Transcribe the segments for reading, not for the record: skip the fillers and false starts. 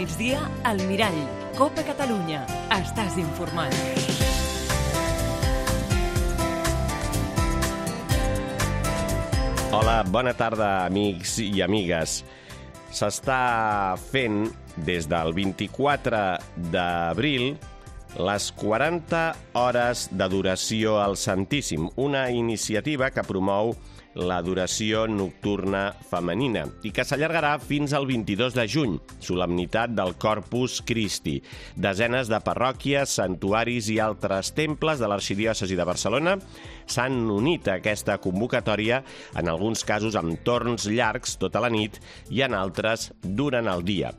migdia, al Mirall. Copa Catalunya. Estàs informat. Hola, bona tarda, amics i amigues. S'està fent des del 24 d'abril les 40 hores d'adoració al Santíssim, una iniciativa que promou l'adoració nocturna femenina i que s'allargarà fins al 22 de juny, solemnitat del Corpus Christi. Desenes de parròquies, santuaris i altres temples de l'arxidiòcesi de Barcelona s'han unit a aquesta convocatòria, en alguns casos amb torns llargs tota la nit i en altres durant el dia.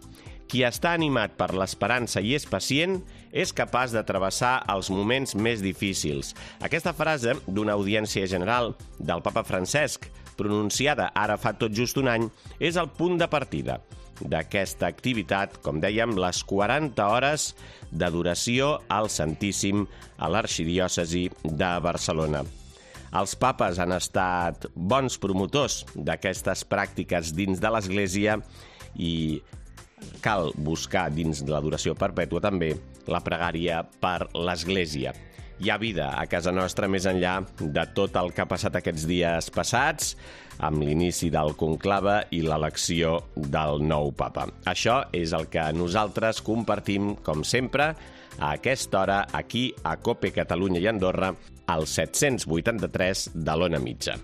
Qui està animat per l'esperança i és pacient és capaç de travessar els moments més difícils. Aquesta frase d'una audiència general del papa Francesc, pronunciada ara fa tot just un any, és el punt de partida d'aquesta activitat, com dèiem, les 40 hores d'adoració al Santíssim a l'arxidiòcesi de Barcelona. Els papes han estat bons promotors d'aquestes pràctiques dins de l'Església i cal buscar dins de l'adoració perpètua també la pregària per l'Església. Hi ha vida a casa nostra més enllà de tot el que ha passat aquests dies passats, amb l'inici del conclave i l'elecció del nou papa. Això és el que nosaltres compartim, com sempre, a aquesta hora, aquí a COPE Catalunya i Andorra, al 783 de l'Ona Mitja.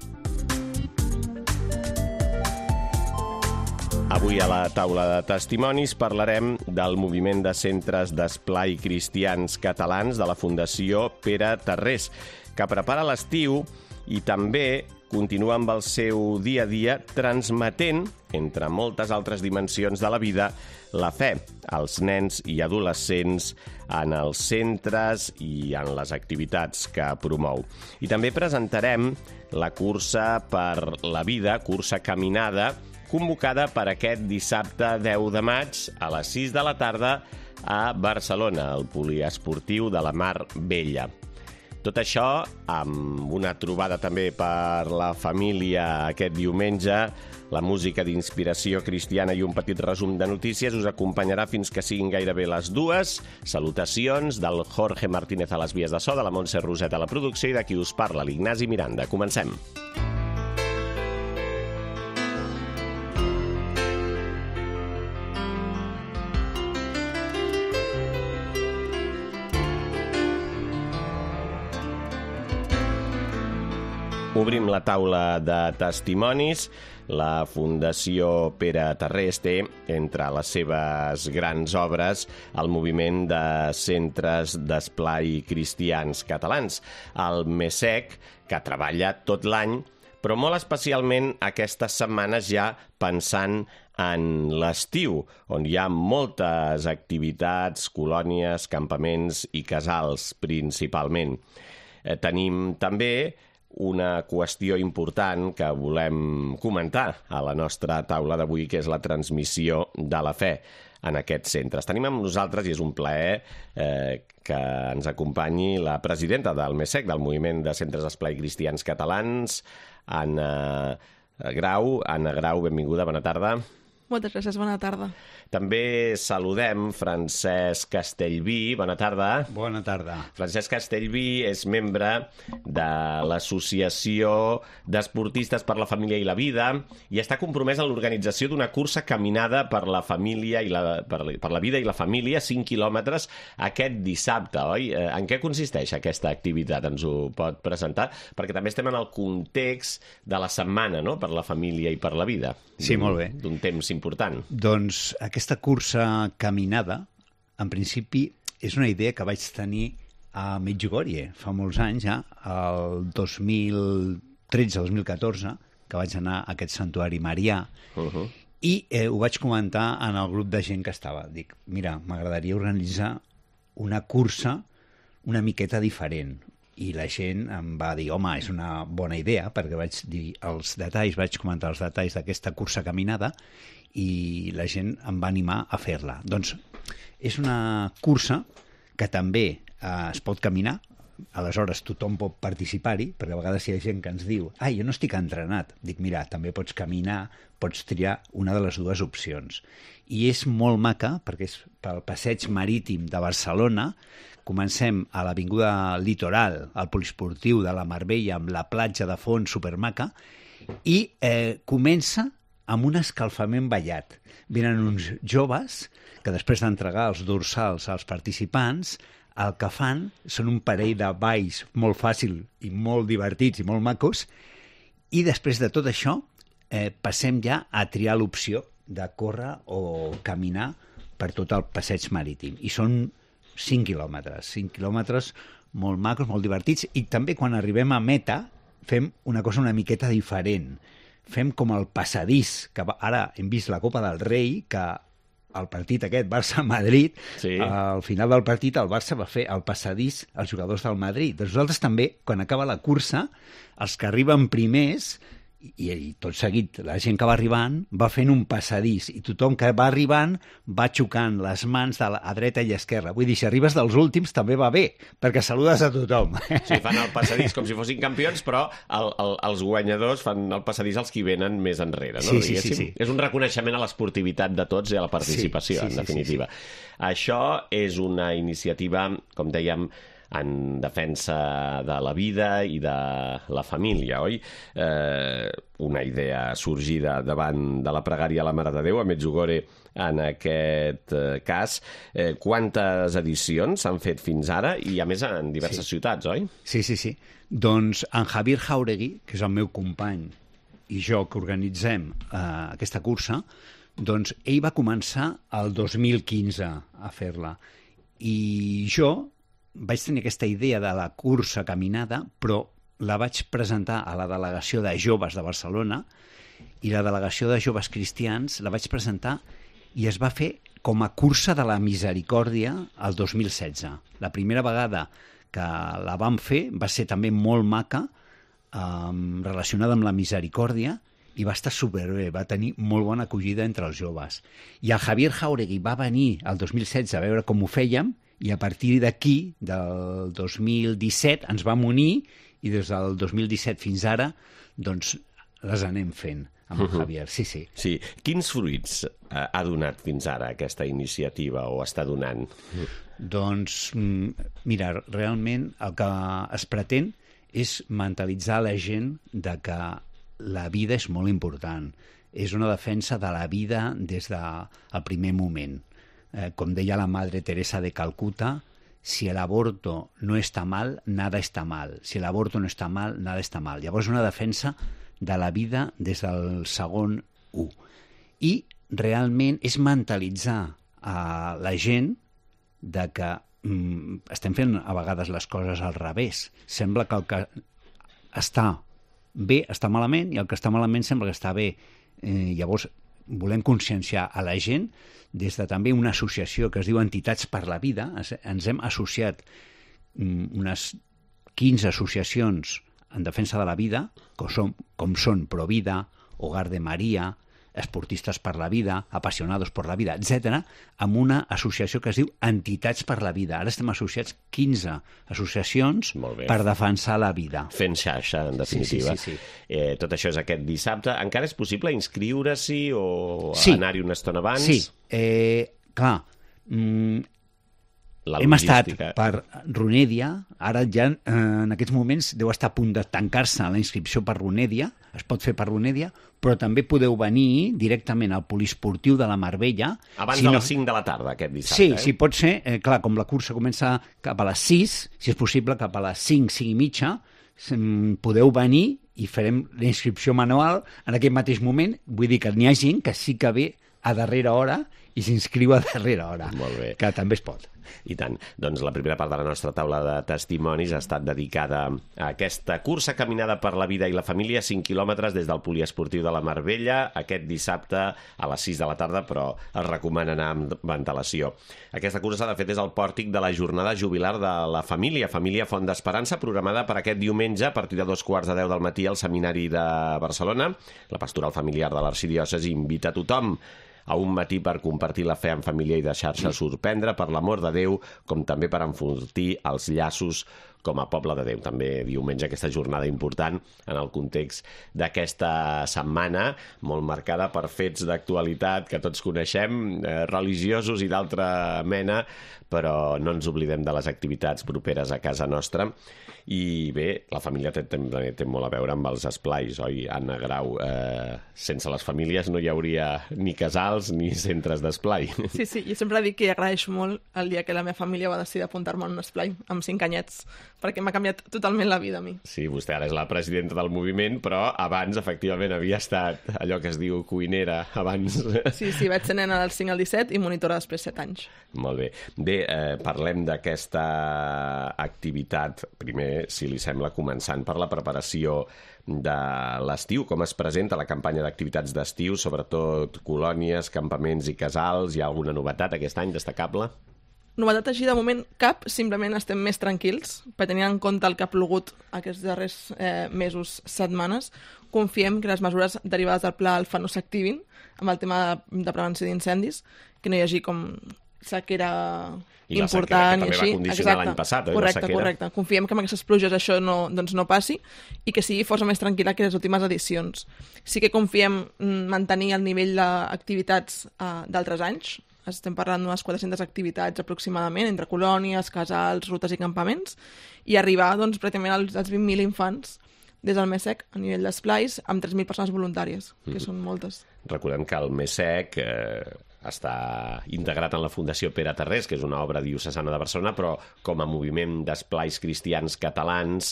Avui a la taula de testimonis parlarem del moviment de centres d'esplai cristians catalans de la Fundació Pere Tarrés, que prepara l'estiu i també continua amb el seu dia a dia transmetent, entre moltes altres dimensions de la vida, la fe als nens i adolescents en els centres i en les activitats que promou. I també presentarem la cursa per la vida, cursa caminada, convocada per aquest dissabte 10 de maig a les 6 de la tarda a Barcelona, al poliesportiu de la Mar Bella. Tot això amb una trobada també per la família aquest diumenge, la música d'inspiració cristiana i un petit resum de notícies us acompanyarà fins que siguin gairebé les 2. Salutacions del Jorge Martínez a les vies de so, de la Montse Roset a la producció i de qui us parla, l'Ignasi Miranda. Comencem. Obrim la taula de testimonis. La Fundació Pere Tarrés té, entre les seves grans obres, el moviment de centres d'esplai cristians catalans, el MESEC, que treballa tot l'any, però molt especialment aquestes setmanes ja pensant en l'estiu, on hi ha moltes activitats, colònies, campaments i casals, principalment. Tenim també una qüestió important que volem comentar a la nostra taula d'avui, que és la transmissió de la fe en aquests centres. Tenim amb nosaltres, i és un plaer que ens acompanyi la presidenta del MESEC, del Moviment de Centres d'Esplai Cristians Catalans, Anna Grau. Anna Grau, benvinguda, bona tarda. Moltes gràcies, bona tarda. També saludem Francesc Castellví. Bona tarda. Bona tarda. Francesc Castellví és membre de l'Associació d'Esportistes per la Família i la Vida i està compromès en l'organització d'una cursa caminada per la família i per la vida i la família, 5 quilòmetres, aquest dissabte, oi? En què consisteix aquesta activitat? Ens ho pot presentar? Perquè també estem en el context de la setmana, no?, per la família i per la vida. Sí, molt bé. D'un temps important. Doncs aquesta cursa caminada, en principi, és una idea que vaig tenir a Medjugorje fa molts anys, ja, el 2013-2014, que vaig anar a aquest santuari marià, i ho vaig comentar en el grup de gent que estava. Dic, mira, m'agradaria organitzar una cursa una miqueta diferent. I la gent em va dir, home, és una bona idea, perquè vaig dir els detalls, vaig comentar els detalls d'aquesta cursa caminada i la gent em va animar a fer-la. Doncs és una cursa que també es pot caminar, aleshores tothom pot participar-hi, perquè a vegades hi ha gent que ens diu jo no estic entrenat. Dic, mira, també pots caminar, pots triar una de les dues opcions. I és molt maca, perquè és pel passeig marítim de Barcelona. Comencem a l'avinguda Litoral, al poliesportiu de la Marbella, amb la platja de fons supermaca, i comença amb un escalfament ballat. Venen uns joves que després d'entregar els dorsals als participants, el que fan són un parell de balls molt fàcil i molt divertits i molt macos, i després de tot això passem ja a triar l'opció de córrer o caminar per tot el passeig marítim. I són 5 quilòmetres molt macos, molt divertits, i també quan arribem a meta fem una cosa una miqueta diferent. Fem com el passadís, que ara hem vist la Copa del Rei, que el partit aquest, Barça-Madrid, al final del partit el Barça va fer el passadís als jugadors del Madrid. Doncs nosaltres també, quan acaba la cursa, els que arriben primers, i tot seguit la gent que va arribant va fent un passadís, i tothom que va arribant va xocant les mans a dreta i a esquerra. Vull dir, si arribes dels últims també va bé, perquè saludes a tothom. Sí, fan el passadís com si fossin campions, però els guanyadors fan el passadís als qui venen més enrere, no? Sí. És un reconeixement a l'esportivitat de tots i a la participació, en definitiva. Això és una iniciativa, com dèiem, en defensa de la vida i de la família, oi? Una idea sorgida davant de la pregària a la Mare de Déu, a Medjugorje en aquest cas. Quantes edicions s'han fet fins ara? I a més en diverses ciutats, oi? Sí. Doncs en Javier Jauregui, que és el meu company, i jo que organitzem aquesta cursa, doncs ell va començar el 2015 a fer-la. I jo vaig tenir aquesta idea de la cursa caminada, però la vaig presentar a la delegació de joves de Barcelona, i la delegació de joves cristians la vaig presentar i es va fer com a cursa de la misericòrdia el 2016. La primera vegada que la vam fer va ser també molt maca, relacionada amb la misericòrdia, i va estar superbé, va tenir molt bona acollida entre els joves. I el Javier Jauregui va venir el 2016 a veure com ho fèiem, i a partir d'aquí, del 2017, ens vam unir, i des del 2017 fins ara, doncs, les anem fent amb el Javier. Sí. Quins fruits ha donat fins ara aquesta iniciativa, o està donant? Doncs, mira, realment el que es pretén és mentalitzar la gent de que la vida és molt important. És una defensa de la vida des del primer moment. Com deia la Madre Teresa de Calcuta, si el aborto no está mal, nada está mal. Si el aborto no está mal, nada está mal. Llavors, una defensa de la vida des del segon 1. I realment és mentalitzar a la gent de que estem fent a vegades les coses al revés. Sembla que el que està bé està malament i el que està malament sembla que està bé. Llavors, volem conscienciar a la gent des de també una associació que es diu Entitats per la Vida. Ens hem associat unes 15 associacions en defensa de la vida, com són Provida, Hogar de Maria, Esportistes per la Vida, Apasionados por la Vida, etc., amb una associació que es diu Entitats per la Vida. Ara estem associats 15 associacions per defensar la vida. Fent xarxa, en definitiva. Sí. Tot això és aquest dissabte. Encara és possible inscriure-s'hi o anar-hi una estona abans? Sí, clar. Hem estat per Runèdia, ara ja en aquests moments deu estar a punt de tancar-se la inscripció per Runèdia, es pot fer per Runèdia, però també podeu venir directament al poliesportiu de la Marbella. Abans de les 5 de la tarda, aquest dissabte. Sí, pot ser. Clar, com la cursa comença cap a les 6, si és possible cap a les 5, 5 i mitja, podeu venir i farem la inscripció manual en aquest mateix moment. Vull dir que n'hi ha gent que sí que ve a darrera hora i s'inscriu a darrera hora, que també es pot. I tant. Doncs la primera part de la nostra taula de testimonis ha estat dedicada a aquesta cursa caminada per la vida i la família, 5 quilòmetres des del poliesportiu de la Marbella, aquest dissabte a les 6 de la tarda, però es recomana anar amb ventilació. Aquesta cursa s'ha de fer des del pòrtic de la jornada jubilar de la família Font d'Esperança, programada per aquest diumenge a partir de 2:15 del matí al Seminari de Barcelona. La pastoral familiar de l'arxidiòcesi invita a tothom a un matí per compartir la fe en família i deixar-se sorprendre per l'amor de Déu, com també per enfortir els llaços com a poble de Déu. També diumenge aquesta jornada important en el context d'aquesta setmana, molt marcada per fets d'actualitat que tots coneixem, religiosos i d'altra mena, però no ens oblidem de les activitats properes a casa nostra. I bé, la família també té molt a veure amb els esplais, oi, Anna Grau? Sense les famílies no hi hauria ni casals ni centres d'esplai. Sí, jo sempre dic que agraeixo molt el dia que la meva família va decidir apuntar-me en un esplai amb 5 anyets, perquè m'ha canviat totalment la vida a mi. Sí, vostè ara és la presidenta del moviment, però abans, efectivament, havia estat allò que es diu cuinera abans. Sí, vaig ser nena del 5 al 17 i monitora després 7 anys. Molt bé. Bé, parlem d'aquesta activitat, primer, si li sembla, començant per la preparació de l'estiu, com es presenta la campanya d'activitats d'estiu, sobretot colònies, campaments i casals. Hi ha alguna novetat aquest any destacable? Novetat així, de moment, cap. Simplement estem més tranquils, per tenir en compte el que ha plogut aquests darrers mesos, setmanes. Confiem que les mesures derivades del Pla Alfa no s'activin amb el tema de prevenció d'incendis, que no hi hagi com sequera important i així. I la sequera que també va condicionar l'any passat, oi? Correcte. Confiem que amb aquestes pluges això no passi i que sigui força més tranquil·la que les últimes edicions. Sí que confiem mantenir el nivell d'activitats d'altres anys. Estem parlant d'unes 400 activitats aproximadament, entre colònies, casals, rutes i campaments, i arribar pràcticament als 20.000 infants des del MESEC a nivell d'esplais amb 3.000 persones voluntàries, que són moltes. Recordem que el MESEC està integrat en la Fundació Pere Tarrés, que és una obra diocesana de Barcelona, però com a moviment d'esplais cristians catalans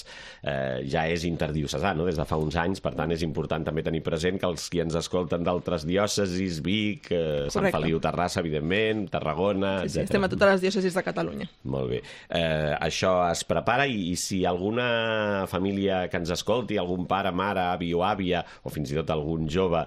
ja és interdiocesà, no?, des de fa uns anys. Per tant, és important també tenir present que els qui ens escolten d'altres diòcesis, Vic, Sant Feliu, Terrassa, evidentment, Tarragona, Sí, estem a totes les diòcesis de Catalunya. Molt bé. Això es prepara i si alguna família que ens escolti, algun pare, mare, avi o àvia, o fins i tot algun jove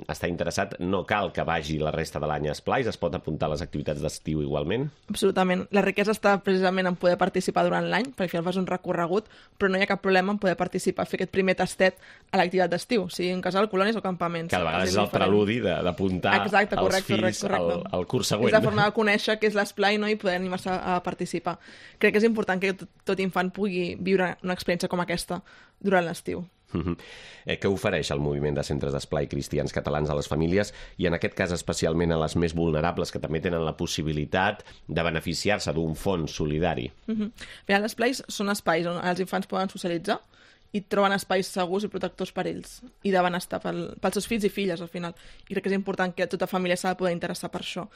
està interessat, no cal que vagi la resta de l'any a esplais, es pot apuntar a les activitats d'estiu igualment? Absolutament. La riquesa està precisament en poder participar durant l'any, perquè al final fas un recorregut, però no hi ha cap problema en poder participar, fer aquest primer tastet a l'activitat d'estiu, sigui en casal, colònies o campaments. Cada vegada és el preludi d'apuntar els fills al curs següent. És la forma de conèixer què és l'esplai, no?, i poder animar-se a participar. Crec que és important que tot infant pugui viure una experiència com aquesta durant l'estiu. Què ofereix el moviment de centres d'esplai cristians catalans a les famílies i en aquest cas especialment a les més vulnerables que també tenen la possibilitat de beneficiar-se d'un fons solidari? Bé, els esplais són espais on els infants poden socialitzar i troben espais segurs i protectors per ells i de benestar pels seus fills i filles al final, i crec que és important que tota família s'ha de poder interessar per això.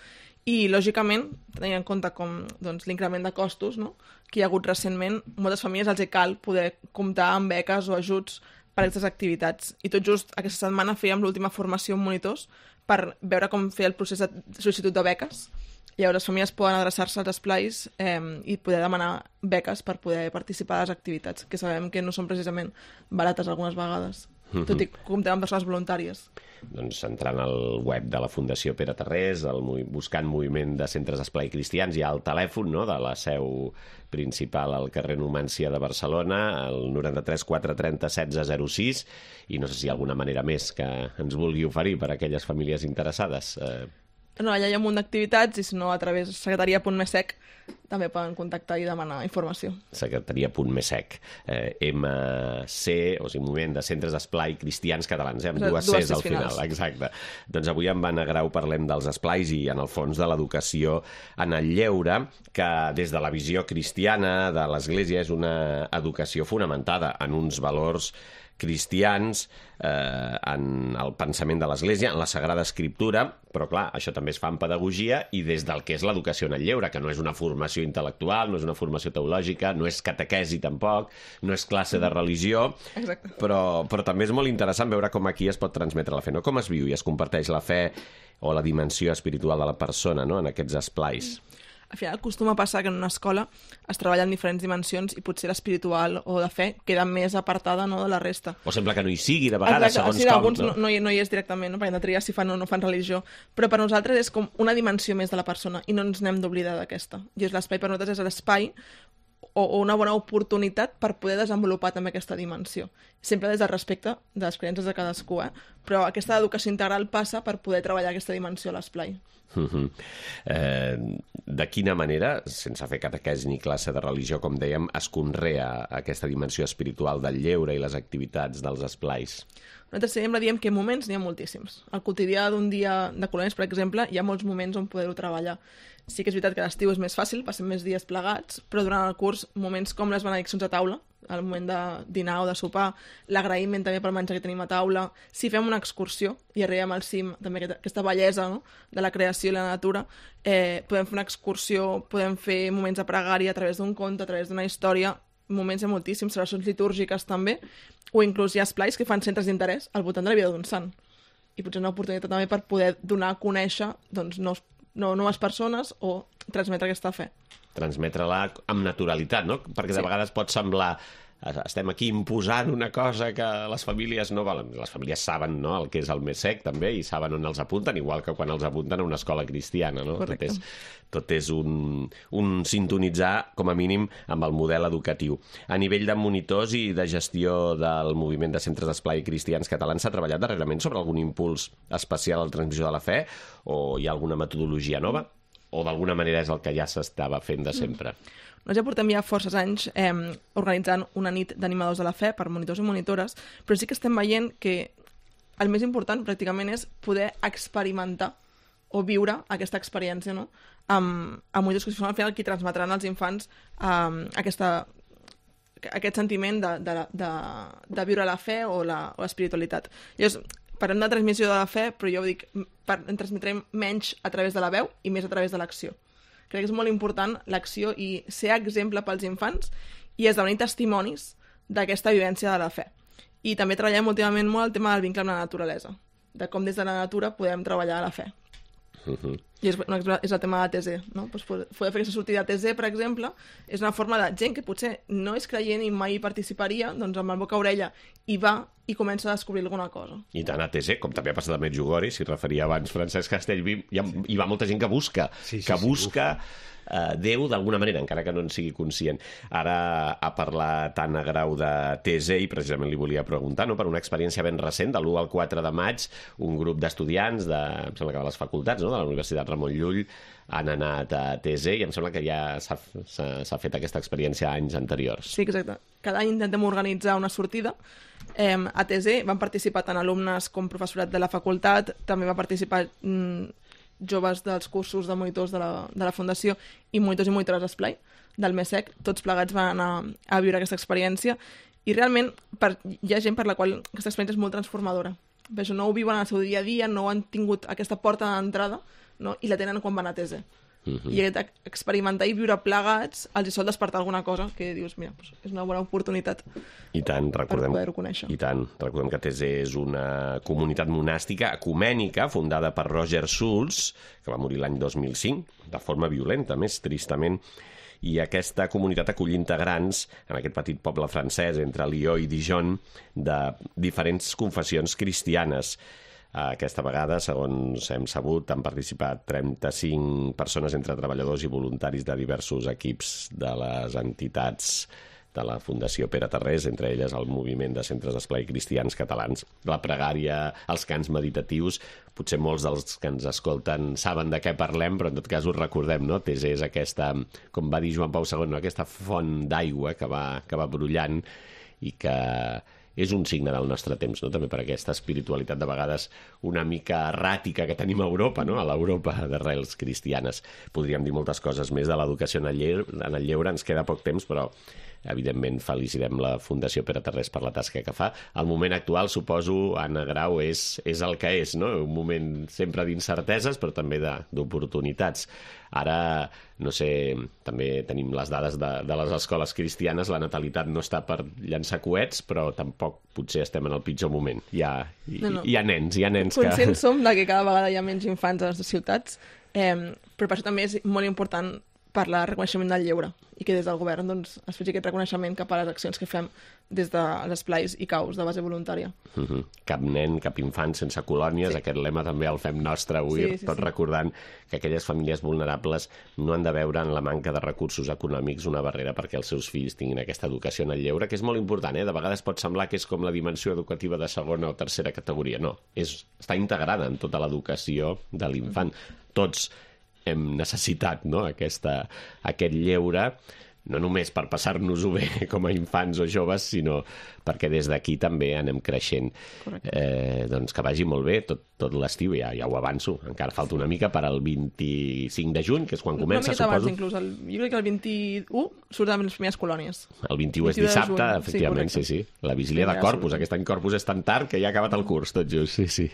I lògicament, tenint en compte com l'increment de costos, no?, que hi ha hagut recentment, moltes famílies els cal poder comptar amb beques o ajuts per a aquestes activitats. I tot just aquesta setmana fèiem l'última formació amb monitors per veure com fer el procés de sol·licitud de beques. Llavors les famílies poden adreçar-se als esplais i poder demanar beques per poder participar a les activitats, que sabem que no són precisament barates algunes vegades, tot i que comptem amb persones voluntàries. Doncs entrant al web de la Fundació Pere Tarrés, buscant moviment de centres d'esplai cristians, hi ha el telèfon, no?, de la seu principal al carrer Numància de Barcelona, el 93 430 1606, i no sé si hi ha alguna manera més que ens vulgui oferir per a aquelles famílies interessades. No, allà hi ha un munt d'activitats i si no a través de secretaria.mesec també poden contactar i demanar informació. Secretaria.mesec, MC, o sigui, Moviment de Centres d'Esplai Cristians Catalans, amb dues Cs al final. Exacte. Doncs avui amb Anna Grau parlem dels esplais i en el fons de l'educació en el lleure, que des de la visió cristiana de l'Església és una educació fonamentada en uns valors cristians, en el pensament de l'Església, en la Sagrada Escriptura, però clar, això també es fa en pedagogia i des del que és l'educació en el lleure, que no és una formació intel·lectual, no és una formació teològica, no és catequesi tampoc, no és classe de religió, però també és molt interessant veure com aquí es pot transmetre la fe, no? Com es viu i es comparteix la fe o la dimensió espiritual de la persona, no?, en aquests esplais. Al final acostuma a passar que en una escola es treballa en diferents dimensions i potser l'espiritual o de fe queda més apartada, no?, de la resta. O sembla que no hi sigui, de vegades, segons com. Alguns no hi és directament, no?, perquè hem de triar si fan o no fan religió, però per nosaltres és com una dimensió més de la persona i no ens n'hem d'oblidar d'aquesta. I és l'espai per nosaltres és l'espai o una bona oportunitat per poder desenvolupar també aquesta dimensió. Sempre des del respecte de les creences de cadascú, però aquesta educació integral passa per poder treballar aquesta dimensió a l'esplai. De quina manera, sense fer catequesi ni classe de religió, com dèiem, es conrea aquesta dimensió espiritual del lleure i les activitats dels esplais? Nosaltres sempre diem que moments n'hi ha moltíssims. Al quotidià d'un dia de colònies, per exemple, hi ha molts moments on poder-ho treballar. Sí que és veritat que l'estiu és més fàcil, passem més dies plegats, però durant el curs, moments com les benediccions a taula, al moment de dinar o de sopar, l'agraïment també pel menjar que tenim a taula, si fem una excursió i arribem al cim, també aquesta bellesa, no?, de la creació i la natura, podem fer una excursió, podem fer moments de pregària a través d'un conte, a través d'una història, moments de moltíssims, celebracions litúrgiques també, o inclús hi ha esplais que fan centres d'interès al voltant de la vida d'un sant. I potser una oportunitat també per poder donar a conèixer doncs, noves persones o transmetre aquesta fe. Transmetre-la amb naturalitat, no? Perquè de vegades pot semblar estem aquí imposant una cosa que les famílies no volen. Les famílies saben, no?, el que és el més sec també i saben on els apunten, igual que quan els apunten a una escola cristiana, no? Tot és un sintonitzar, com a mínim, amb el model educatiu. A nivell de monitors i de gestió del moviment de centres d'esplai cristians catalans, s'ha treballat darrerament sobre algun impuls especial a la transmissió de la fe o hi ha alguna metodologia nova? O d'alguna manera és el que ja s'estava fent de sempre? Nosaltres ja portem ja forces anys organitzant una nit d'animadors de la fe per monitors i monitores, però sí que estem veient que el més important pràcticament és poder experimentar o viure aquesta experiència, no?, amb monitors que són al final qui transmetran als infants aquest sentiment de viure la fe o l'espiritualitat. Llavors, parlem de transmissió de la fe, però jo dic, en transmetrem menys a través de la veu i més a través de l'acció. Crec que és molt important l'acció i ser exemple pels infants i esdevenir testimonis d'aquesta vivència de la fe. I també treballem últimament molt el tema del vincle amb la naturalesa, de com des de la natura podem treballar la fe. I és el tema de TZ, no? Pues poder fer aquesta sortida a TZ, per exemple, és una forma de gent que potser no és creient i mai participaria, doncs amb el boca-orella hi va i comença a descobrir alguna cosa. I tant a TZ, com també ha passat a Medjugorje, s'hi referia abans Francesc Castellví, hi va molta gent que busca, Déu d'alguna manera, encara que no en sigui conscient. Ara ha parlat Anna Grau de TZ i precisament li volia preguntar, no?, per una experiència ben recent, de l'1 al 4 de maig, un grup d'estudiants em sembla que de les facultats, no?, de la Universitat Ramon Llull, han anat a TZ i em sembla que ja s'ha fet aquesta experiència anys anteriors. Sí, exacte. Cada any intentem organitzar una sortida. A TZ van participar tant alumnes com professorat de la facultat, també va participar joves dels cursos de monitors de la Fundació i monitors i monitores d'esplai del MESEC. Tots plegats van anar a viure aquesta experiència i realment hi ha gent per la qual aquesta experiència és molt transformadora. Per això no ho viuen en el seu dia a dia, no han tingut aquesta porta d'entrada, no?, i la tenen quan van a TZ. I experimentar i viure plegats els hi sol despertar alguna cosa que dius, mira, és una bona oportunitat per poder-ho conèixer. I tant, recordem que TZ és una comunitat monàstica ecumènica fundada per Roger Schulz, que va morir l'any 2005, de forma violenta, més tristament, i aquesta comunitat acull integrants en aquest petit poble francès entre Lió i Dijon de diferents confessions cristianes. Aquesta vegada, segons hem sabut, han participat 35 persones entre treballadors i voluntaris de diversos equips de les entitats de la Fundació Pere Tarrés, entre elles el moviment de centres d'esplai cristians catalans. La pregària, els cants meditatius, potser molts dels que ens escolten saben de què parlem, però en tot cas us recordem, no? TZ és aquesta, com va dir Joan Pau II, no?, aquesta font d'aigua que va brollant i que és un signe del nostre temps, no?, també per aquesta espiritualitat de vegades una mica erràtica que tenim a Europa, no?, a l'Europa d'arrels cristianes. Podríem dir moltes coses més de l'educació en el lleure, ens queda poc temps, però evidentment felicitem la Fundació Pere Tarrés per la tasca que fa. El moment actual, suposo, Anna Grau, és el que és, no?, un moment sempre d'incerteses, però també d'oportunitats. Ara, no sé, també tenim les dades de les escoles cristianes, la natalitat no està per llançar coets, però tampoc potser estem en el pitjor moment. Hi ha nens que... Conscients som que cada vegada hi ha menys infants a les ciutats, però per això també és molt important parlar de reconeixement del lleure i que des del govern doncs, es faci aquest reconeixement cap a les accions que fem des dels esplais i caus de base voluntària. Cap nen, cap infant sense colònies, aquest lema també el fem nostre avui, tot recordant que aquelles famílies vulnerables no han de veure en la manca de recursos econòmics una barrera perquè els seus fills tinguin aquesta educació en el lleure, que és molt important, De vegades pot semblar que és com la dimensió educativa de segona o tercera categoria. No, està integrada en tota l'educació de l'infant. Tots hem necessitat aquest lleure, no només per passar-nos-ho bé com a infants o joves, sinó perquè des d'aquí també anem creixent. Doncs que vagi molt bé tot l'estiu, ja ho avanço. Encara falta una mica per al 25 de juny, que és quan comença, suposo. Abans, inclús. Jo crec que el 21 surten les primeres colònies. El 21 és dissabte, efectivament, sí. La vigília de Corpus. Aquest any Corpus és tan tard que ja ha acabat el curs, tot just, sí.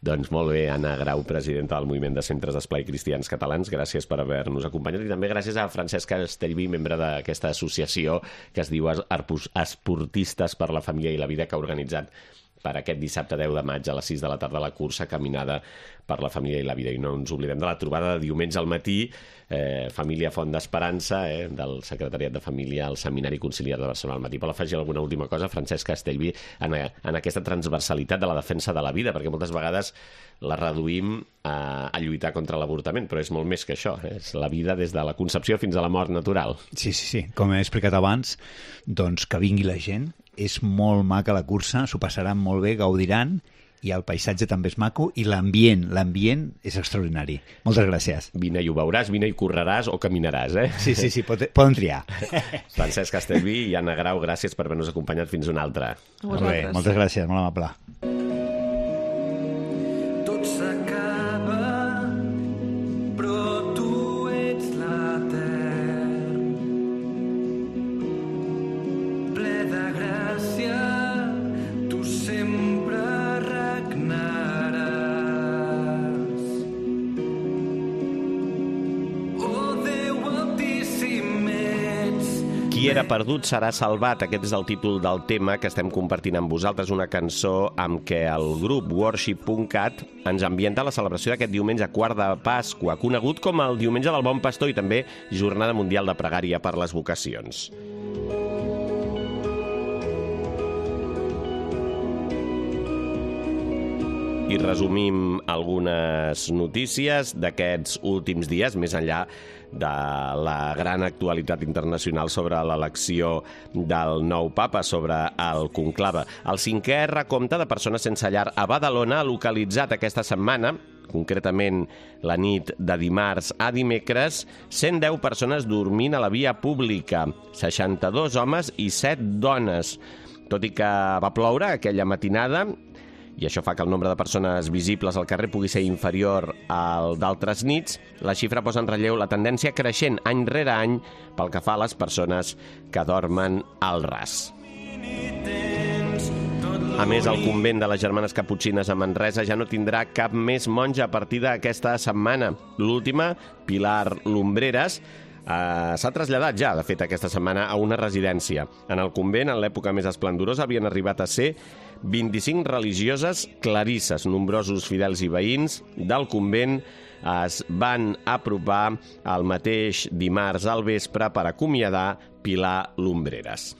Doncs molt bé, Anna Grau, presidenta del Moviment de Centres d'Esplai Cristians Catalans, gràcies per haver-nos acompanyat, i també gràcies a Francesc Castellví, membre d'aquesta associació que es diu Esportistes per la Família i la Vida, que ha organitzat per aquest dissabte 10 de maig a les 6 de la tarda la cursa Caminada per la Família i la Vida. I no ens oblidem de la trobada de diumenge al matí, Família Font d'Esperança, del Secretariat de Família al Seminari Conciliar de Barcelona al matí. Vol afegir alguna última cosa, Francesc Castellví, en aquesta transversalitat de la defensa de la vida, perquè moltes vegades la reduïm a lluitar contra l'avortament, però és molt més que això, és la vida des de la concepció fins a la mort natural. Sí. Com he explicat abans, doncs que vingui la gent, és molt maca la cursa, s'ho passaran molt bé, gaudiran, i el paisatge també és maco, i l'ambient és extraordinari. Moltes gràcies. Vine i ho veuràs, vine i correràs o caminaràs, Sí, poden triar. Francesc Castellví i Anna Grau, gràcies per haver-nos acompanyat fins una altra. Molt bé, moltes gràcies, molt amable. Tot s'acaba, però tu ets l'etern. Ple de gràcia, tu sempre regnaràs. Oh, Déu altíssim ets. Qui era perdut serà salvat. Aquest és el títol del tema que estem compartint amb vosaltres, una cançó amb què el grup Worship.cat ens ambienta la celebració d'aquest diumenge quart de Pasqua, conegut com el Diumenge del Bon Pastor i també Jornada Mundial de Pregària per les Vocacions. I resumim algunes notícies d'aquests últims dies, més enllà de la gran actualitat internacional sobre l'elecció del nou papa, sobre el conclave. El 5è recompte de persones sense llar a Badalona ha localitzat aquesta setmana, concretament la nit de dimarts a dimecres, 110 persones dormint a la via pública, 62 homes i 7 dones. Tot i que va ploure aquella matinada, i això fa que el nombre de persones visibles al carrer pugui ser inferior al d'altres nits, la xifra posa en relleu la tendència creixent any rere any pel que fa a les persones que dormen al ras. A més, el convent de les Germanes Caputxines a Manresa ja no tindrà cap més monja a partir d'aquesta setmana. L'última, Pilar Lumbreras, s'ha traslladat ja, de fet, aquesta setmana a una residència. En el convent, en l'època més esplendorosa, havien arribat a ser 25 religioses clarisses. Nombrosos fidels i veïns del convent es van apropar el mateix dimarts al vespre per acomiadar Pilar Lumbreras.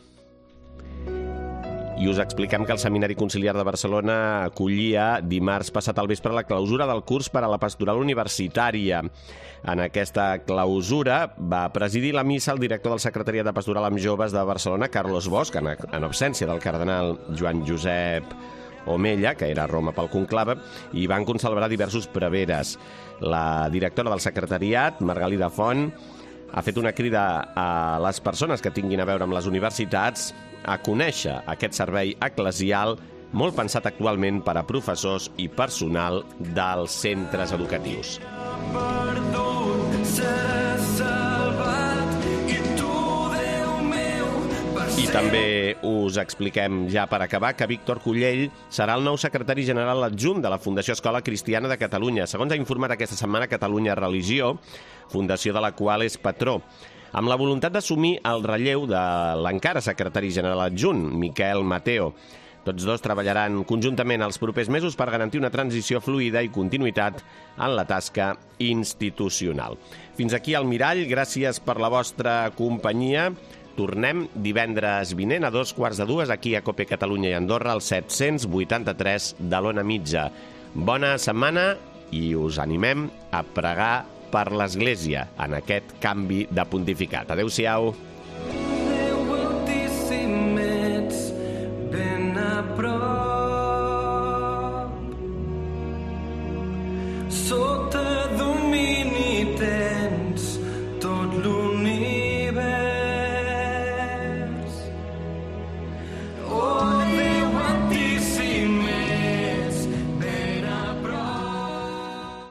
I us expliquem que el Seminari Conciliar de Barcelona acollia dimarts passat al vespre la clausura del curs per a la pastoral universitària. En aquesta clausura va presidir la missa el director del Secretariat de Pastoral amb Joves de Barcelona, Carlos Bosch, en absència del cardenal Joan Josep Omella, que era a Roma pel conclave, i van concelebrar diversos preveres. La directora del secretariat, Margalida Font, ha fet una crida a les persones que tinguin a veure amb les universitats a conèixer aquest servei eclesial molt pensat actualment per a professors i personal dels centres educatius. I també us expliquem, ja per acabar, que Víctor Cullell serà el nou secretari general adjunt de la Fundació Escola Cristiana de Catalunya. Segons ha informat aquesta setmana Catalunya Religió, fundació de la qual és patró, amb la voluntat d'assumir el relleu de l'encara secretari general adjunt, Miquel Mateo. Tots dos treballaran conjuntament els propers mesos per garantir una transició fluida i continuïtat en la tasca institucional. Fins aquí el Mirall, gràcies per la vostra companyia. Tornem divendres vinent a 2:15 aquí a COPE Catalunya i Andorra, al 783 de l'Ona Mitja. Bona setmana i us animem a pregar per l'Església en aquest canvi de pontificat. Adéu-siau. Déu Altíssim, ets ben a prop. Sota